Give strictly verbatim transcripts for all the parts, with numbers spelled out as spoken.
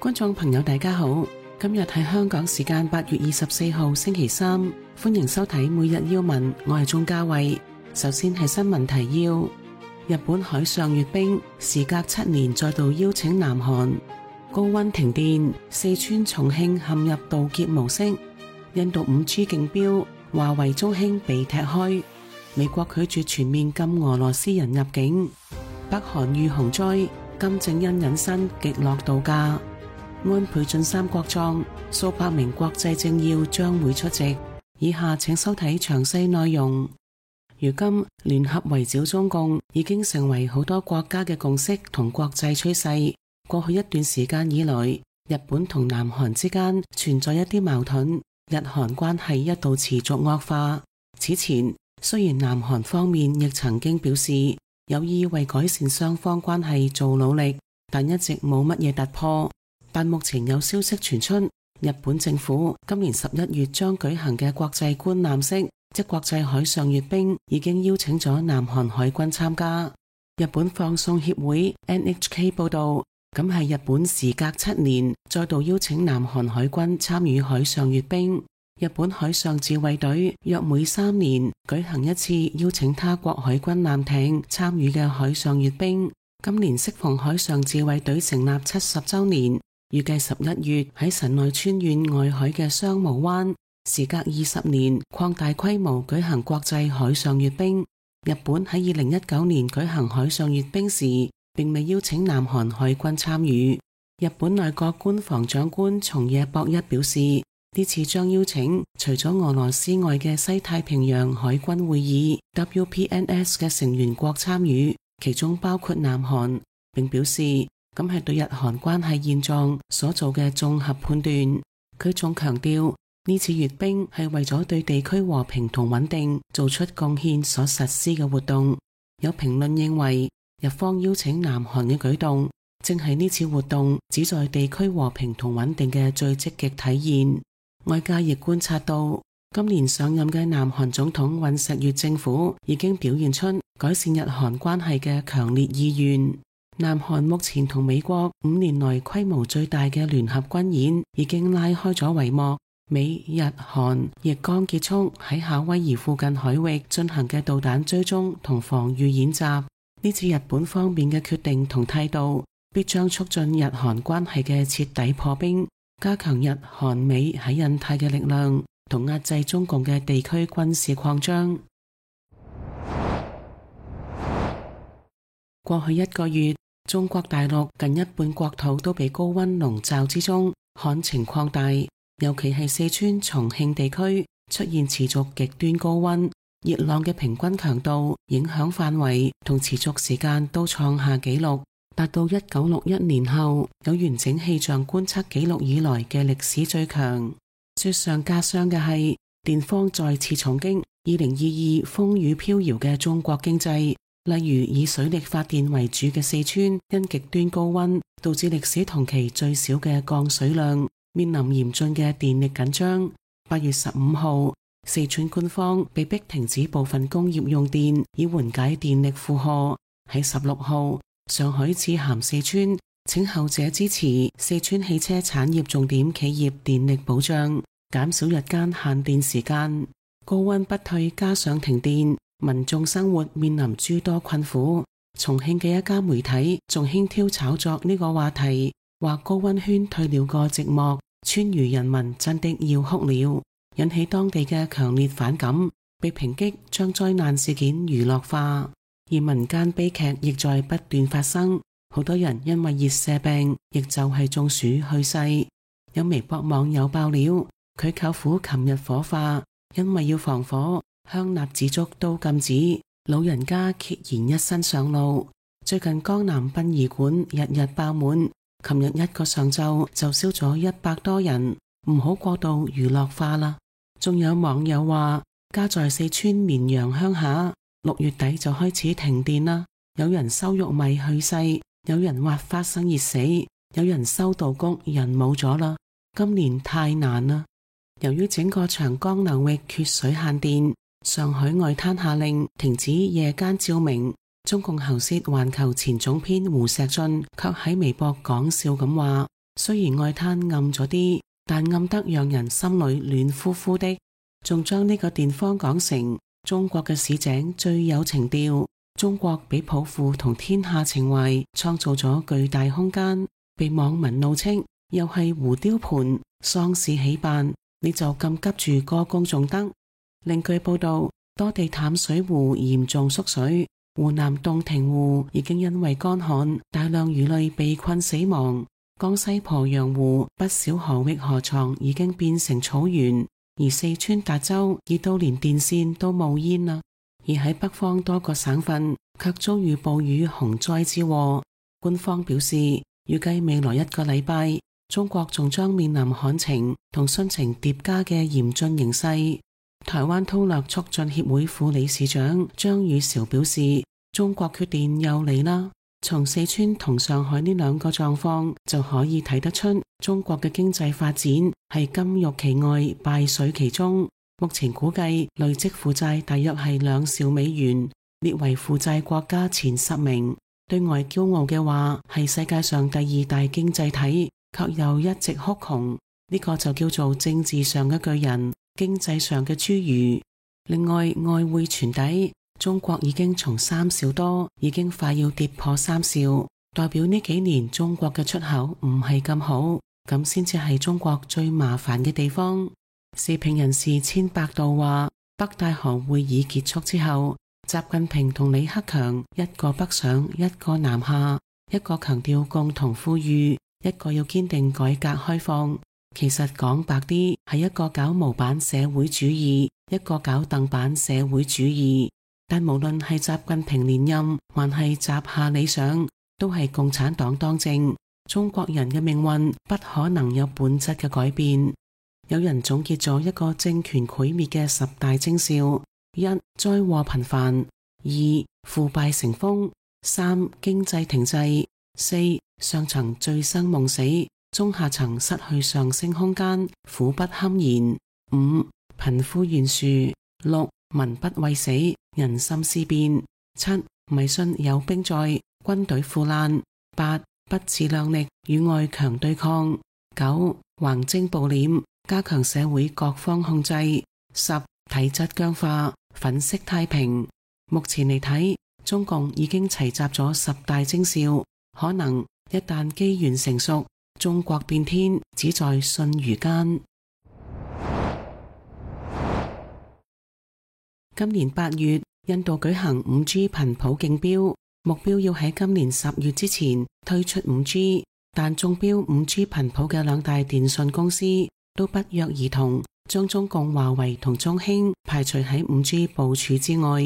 觀眾朋友大家好，今日係香港時間八月二十四號星期三，歡迎收睇每日要聞，我係鍾嘉慧。首先係新聞提要：日本海上閱兵，時隔七年再度邀請南韓；高溫停電，四川、重慶陷入盜劫模式；印度五 G 競標，華為、中興被踢開；美國拒絕全面禁俄羅斯人入境；北韓遇洪災，金正恩隱身極樂度假。安倍晉三國葬，數百名國際政要將會出席。以下請收睇詳細內容。如今聯合圍剿中共已經成為好多國家嘅共識同國際趨勢。過去一段時間以來，日本同南韓之間存在一啲矛盾，日韓關係一度持續惡化。此前雖然南韓方面亦曾經表示有意為改善雙方關係做努力，但一直冇乜嘢突破。但目前有消息傳出，日本政府今年十一月將舉行嘅國際觀覽式，即國際海上閱兵，已經邀請咗南韓海軍參加。日本放送協會 N H K 報道，咁係日本時隔七年再度邀請南韓海軍參與海上閱兵。日本海上自衛隊約每三年舉行一次邀請他國海軍艦艇參與嘅海上閱兵。今年適逢海上自衛隊成立七十週年。預計十一月喺神奈川縣外海嘅相模灣，時隔二十年擴大規模舉行國際海上閱兵。日本喺二零一九年舉行海上閱兵時，並未邀請南韓海軍參與。日本內閣官房長官松野博一表示，呢次將邀請除咗俄羅斯外嘅西太平洋海軍會議 W P N S 嘅成員國參與，其中包括南韓，並表示咁係對日韓關係現狀所做嘅綜合判斷。佢仲強調，呢次閱兵係為咗對地區和平同穩定做出貢獻所實施嘅活動。有評論認為，日方邀請南韓嘅舉動，正係呢次活動旨在地區和平同穩定嘅最積極體現。外界亦觀察到，今年上任嘅南韓總統尹錫悅政府已經表現出改善日韓關係嘅強烈意願。南韓目前同美國五年來規模最大嘅聯合軍演已經拉開咗帷幕，美日韓亦剛結束喺夏威夷附近海域進行嘅導彈追蹤同防禦演習。呢次日本方面嘅決定同態度，必將促進日韓關係嘅徹底破冰，加強日韓美喺印太嘅力量，同壓制中共嘅地區軍事擴張。過去一個月，中國大陸近一半國土都被高溫籠罩之中，旱情擴大，尤其係四川、重慶地區出現持續極端高溫，熱浪嘅平均強度、影響範圍同持續時間都創下紀錄，達到一九六一年後有完整氣象觀測紀錄以來嘅歷史最強。雪上加霜嘅係，電荒再次重擊二零二二風雨飄搖嘅中國經濟。例如以水力發電為主嘅四川，因極端高溫導致歷史同期最少嘅降水量，面臨嚴峻嘅電力緊張。八月十五號，四川官方被迫停止部分工業用電，以緩解電力負荷。喺十六號，上海致函四川，請後者支持四川汽車產業重點企業電力保障，減少日間限電時間。高溫不退，加上停電，民眾生活面臨諸多困苦。重慶嘅一家媒體仲輕佻炒作呢個話題，話高溫圈退了個寂寞，川渝人民真的要哭了，引起當地嘅強烈反感，被抨擊將災難事件娛樂化。而民間悲劇亦在不斷發生，好多人因為熱射病，亦就係中暑去世。有微博網友爆料，佢舅父琴日火化，因為要防火，香蠟紙燭都禁止，老人家孑然一身上路。最近江南殯儀館日日爆滿，琴日一個上晝就燒咗一百多人，唔好過度娛樂化啦。仲有網友話，家在四川綿陽鄉下，六月底就開始停電啦。有人收玉米去世，有人挖花生熱死，有人收稻谷人冇咗啦。今年太難啦。由於整個長江流域缺水限電，上海外灘下令停止夜間照明。中共喉舌環球前總編胡錫進卻喺微博講笑咁話，雖然外灘暗咗啲，但暗得讓人心裏暖乎乎的。仲將呢個地方講成中國嘅市井最有情調。中國俾抱負同天下情懷創造咗巨大空間，被網民怒斥又係胡雕盤，喪事起辦，你就咁急住歌功頌德。另據報道，多地淡水湖嚴重縮水，湖南洞庭湖已經因為乾旱，大量魚類被困死亡。江西鄱陽湖不少河域河床已經變成草原，而四川達州熱到連電線都冒煙啦。而喺北方多個省份卻遭遇暴雨洪災之禍。官方表示，預計未來一個禮拜，中國仲將面臨旱情同汛情疊加嘅嚴峻形勢。台灣韜略促進協會副理事長張宇韶表示，中國缺電又嚟啦。從四川同上海呢兩個狀況就可以睇得出，中國嘅經濟發展係金玉其外，敗絮其中。目前估計累積負債大約係兩兆美元，列為負債國家前十名。對外驕傲嘅話係世界上第二大經濟體，卻又一直哭窮。呢個就叫做政治上嘅巨人，經濟上嘅侏儒。另外，外匯傳底，中國已經從三兆多，已經快要跌破三兆，代表呢幾年中國嘅出口唔係咁好，咁先至係中國最麻煩嘅地方。時評人士千百度話，北戴河會議結束之後，習近平同李克強一個北上，一個南下，一個強調共同富裕，一個要堅定改革開放。其實講白啲，係一個搞模板社會主義，一個搞鄧版社會主義。但無論係習近平連任，還係習下理想，都係共產黨當政。中國人嘅命運不可能有本質嘅改變。有人總結咗一個政權毀滅嘅十大徵兆：一、災禍頻繁；二、腐敗成風；三、經濟停滯；四、上層醉生夢死，中下層失去上升空間，苦不堪言；五、貧富懸殊；六、民不畏死，人心思變；七、迷信有兵在，軍隊腐爛；八、不自量力，與外強對抗；九、橫徵暴斂，加強社會各方控制；十、體質僵化，粉飾太平。目前嚟睇，中共已經齊集咗十大徵兆，可能一旦機緣成熟，中國變天只在瞬如間。今年八月，印度舉行五 G 頻譜競標，目標要喺今年十月之前推出五 G， 但中標五 G 頻譜嘅兩大電信公司都不約而同將中共華為同中興排除喺五 G 部署之外。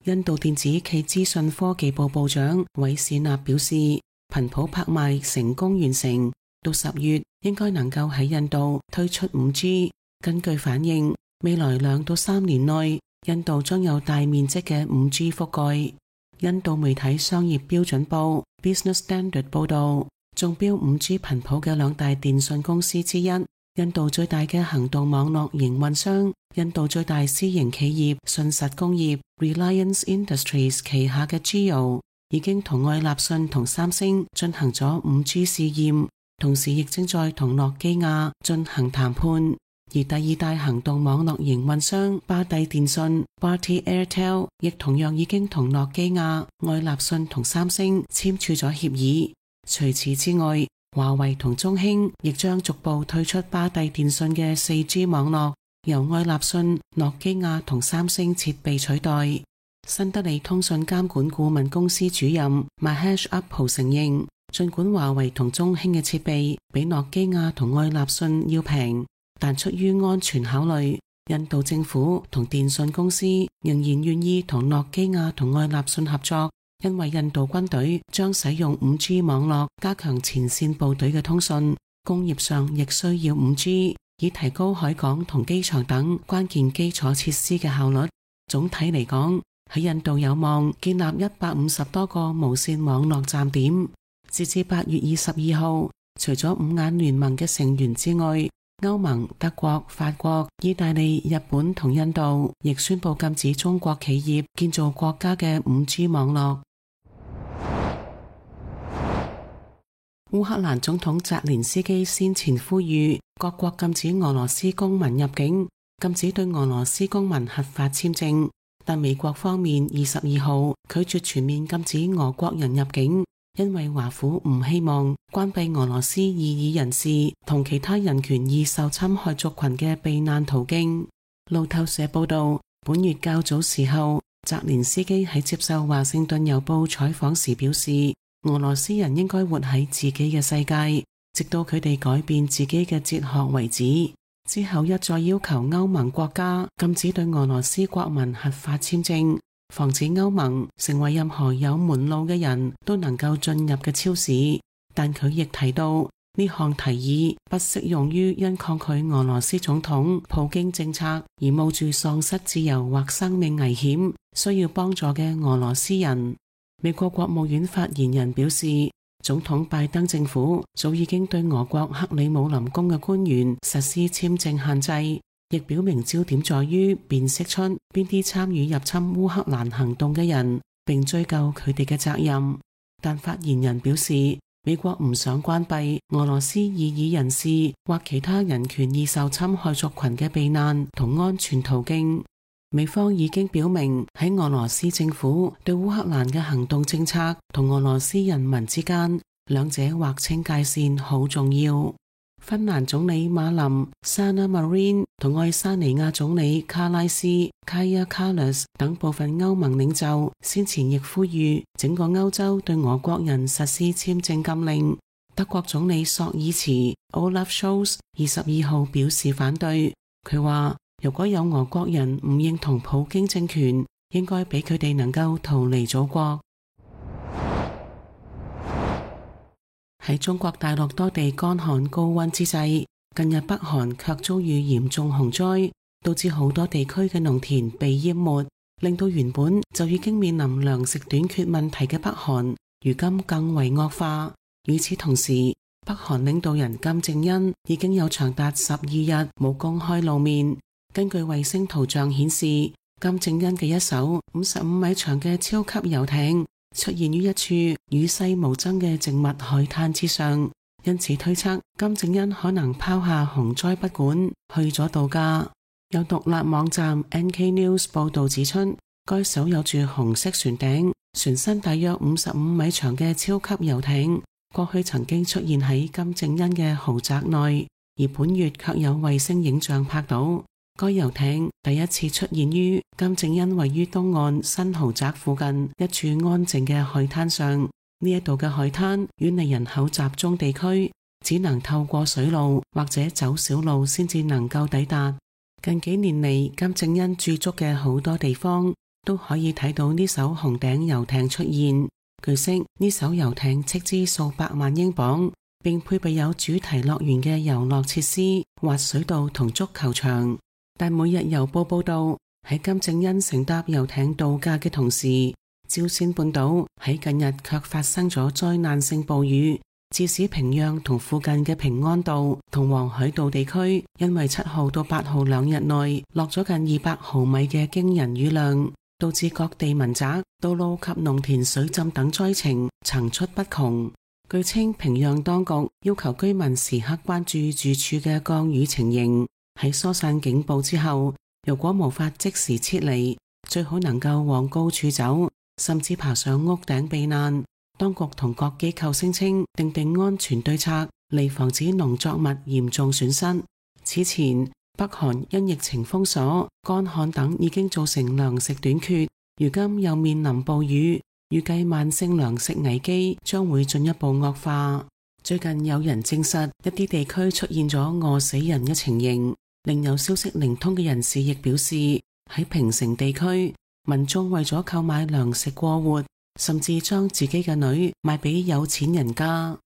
印度電子暨資訊科技部部長韋史納表示，頻譜拍賣成功完成，到十月應該能夠喺印度推出五 G。根據反應，未來兩到三年內，印度將有大面積嘅五 G 覆蓋。印度媒體商業標準報 Business Standard 報道，中標五 G 頻譜嘅兩大電信公司之一，印度最大嘅行動網絡營運商，印度最大私營企業信實工業 Reliance Industries 旗下嘅 Jio 已經同愛立信同三星進行咗五 G 試驗，同時亦正在同諾基亞進行談判。而第二大行動網絡營運商巴蒂電信 Bharti Airtel 亦同樣已經同諾基亞、愛立信同三星簽署咗協議。除此之外，華為同中興亦將逐步退出巴蒂電信嘅 四 G 網絡，由愛立信、諾基亞同三星設備取代。新德里通訊監管顧問公司主任 Mahesh Uppal 承認，儘管華為同中興嘅設備比諾基亞同愛立信要平，但出於安全考慮，印度政府同電信公司仍然願意同諾基亞同愛立信合作，因為印度軍隊將使用 五 G 網絡加強前線部隊嘅通訊，工業上亦需要 五 G， 以提高海港同機場等關鍵基礎設施嘅效率。總體嚟講，喺印度有望建立一百五十多個無線網絡站點。截至八月二十二號，除咗五眼聯盟嘅成員之外，歐盟、德國、法國、意大利、日本同印度亦宣布禁止中國企業建造國家嘅 五 G 網絡。烏克蘭總統澤連斯基先前呼籲各國禁止俄羅斯公民入境，禁止對俄羅斯公民核發簽證，但美國方面二十二號拒絕全面禁止俄國人入境，因為華府唔希望關閉俄羅斯異議人士同其他人權易受侵害族群嘅避難途徑。路透社報道，本月較早時候，澤連斯基喺接受華盛頓郵報採訪時表示，俄羅斯人應該活喺自己嘅世界，直到佢哋改變自己嘅哲學為止。之後一再要求歐盟國家禁止對俄羅斯國民核發簽證，防止歐盟成為任何有門路嘅人都能夠進入嘅超市。但佢亦提到，呢項提議不適用於因抗拒俄羅斯總統普京政策而冒住喪失自由或生命危險需要幫助嘅俄羅斯人。美國國務院發言人表示，總統拜登政府早已經對俄國克里姆林宮嘅官員實施簽證限制，亦表明焦點在於辨識出邊啲參與入侵烏克蘭行動嘅人，並追究佢哋嘅責任。但發言人表示，美國唔想關閉俄羅斯異議人士或其他人權易受侵害族群嘅避難同安全途徑。美方已經表明，喺俄羅斯政府對烏克蘭嘅行動政策同俄羅斯人民之間，兩者劃清界線好重要。芬蘭總理馬林、Sanna Marin 同愛沙尼亞總理卡拉斯、Kaja Kallas 等部分歐盟領袖先前亦呼籲整個歐洲對俄國人實施簽證禁令。德國總理朔爾茨 Olaf Scholz 二十二號表示反對，佢話，如果有俄國人唔認同普京政權，應該俾佢哋能夠逃離祖國。喺中國大陸多地乾旱高溫之際，近日北韓卻遭遇嚴重洪災，導致好多地區嘅農田被淹沒，令到原本就已經面臨糧食短缺問題嘅北韓，如今更為惡化。與此同時，北韓領導人金正恩已經有長達十二日冇公開露面。根據衛星圖像顯示，金正恩嘅一艘五十五米長嘅超級遊艇出現於一處與世無爭嘅靜默海灘之上，因此推測金正恩可能拋下洪災不管，去咗度假。有獨立網站 N K News 報道指出，該艘有住紅色船頂、船身大約五十五米長嘅超級遊艇，過去曾經出現喺金正恩嘅豪宅內，而本月卻有衛星影像拍到。該遊艇第一次出現於金正恩位於東岸新豪宅附近一處安靜嘅海灘上。呢一度嘅海灘遠離人口集中地區，只能透過水路或者走小路先至能夠抵達。近幾年嚟，金正恩駐足嘅好多地方都可以睇到呢艘紅頂遊艇出現。據悉，呢艘遊艇斥資數百萬英鎊，並配備有主題樂園嘅遊樂設施、滑水道同足球場。但每日郵報報道，喺金正恩乘搭遊艇度假嘅同時，朝鮮半島喺近日卻發生咗災難性暴雨，致使平壤同附近嘅平安道同黃海道地區因為七號到八號兩日內落咗近二百毫米嘅驚人雨量，導致各地民宅、道路及農田水浸等災情層出不窮。據稱，平壤當局要求居民時刻關注住處嘅降雨情形。喺疏散警報之後，如果無法即時撤離，最好能夠往高處走，甚至爬上屋頂避難。當局同各機構聲稱訂定安全對策，嚟防止農作物嚴重損失。此前，北韓因疫情封鎖、乾旱等已經造成糧食短缺，如今又面臨暴雨，預計慢性糧食危機將會進一步惡化。最近有人證實一啲地區出現咗餓死人嘅情形。另有消息靈通嘅人士亦表示，喺平城地區，民眾為咗購買糧食過活，甚至將自己嘅女賣俾有錢人家。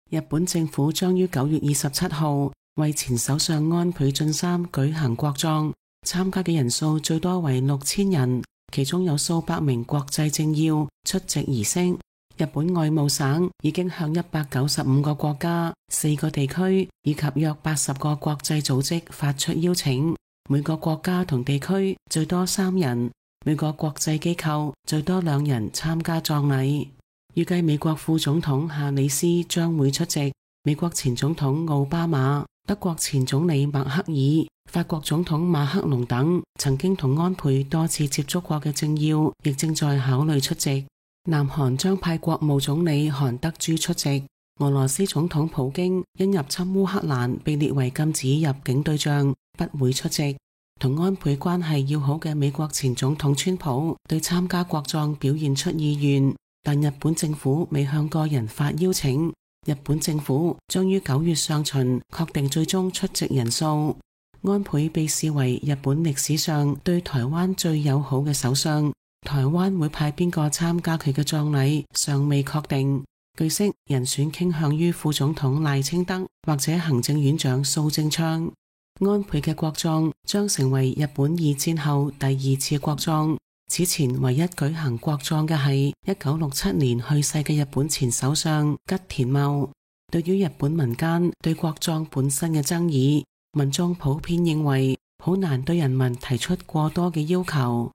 日本政府將於九月二十七號為前首相安倍晉三舉行國葬，參加嘅人數最多為六千人，其中有數百名國際政要出席儀式。日本外務省已經向一百九十五個國家、四個地區以及約八十個國際組織發出邀請，每個國家同地區最多三人，每個國際機構最多兩人參加葬禮。預計美國副總統夏里斯將會出席。美國前總統奧巴馬、德國前總理默克爾、法國總統馬克龍等曾經同安倍多次接觸過嘅政要，亦正在考慮出席。南韓將派國務總理韓德洙出席。俄羅斯總統普京因入侵烏克蘭被列為禁止入境對象，不會出席。同安倍關係要好嘅美國前總統川普對參加國葬表現出意願，但日本政府未向個人發邀請。日本政府將於九月上旬確定最終出席人數。安倍被視為日本歷史上對台灣最友好嘅首相，台灣會派邊個參加佢嘅葬禮尚未確定。據悉，人選傾向於副總統賴清德或者行政院長蘇貞昌。安倍嘅國葬將成為日本二戰後第二次國葬。此前唯一舉行國葬嘅係一九六七年去世嘅日本前首相吉田茂。對於日本民間對國葬本身嘅爭議，民眾普遍認為好難對人民提出過多嘅要求。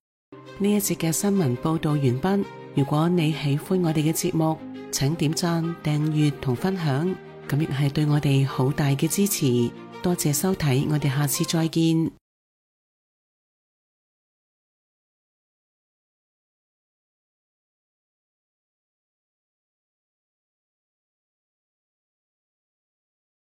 呢一節嘅新聞報道完畢。如果你喜歡我哋嘅節目，請點讚、訂閱同分享，咁亦係對我哋好大嘅支持。多謝收睇，我哋下次再見。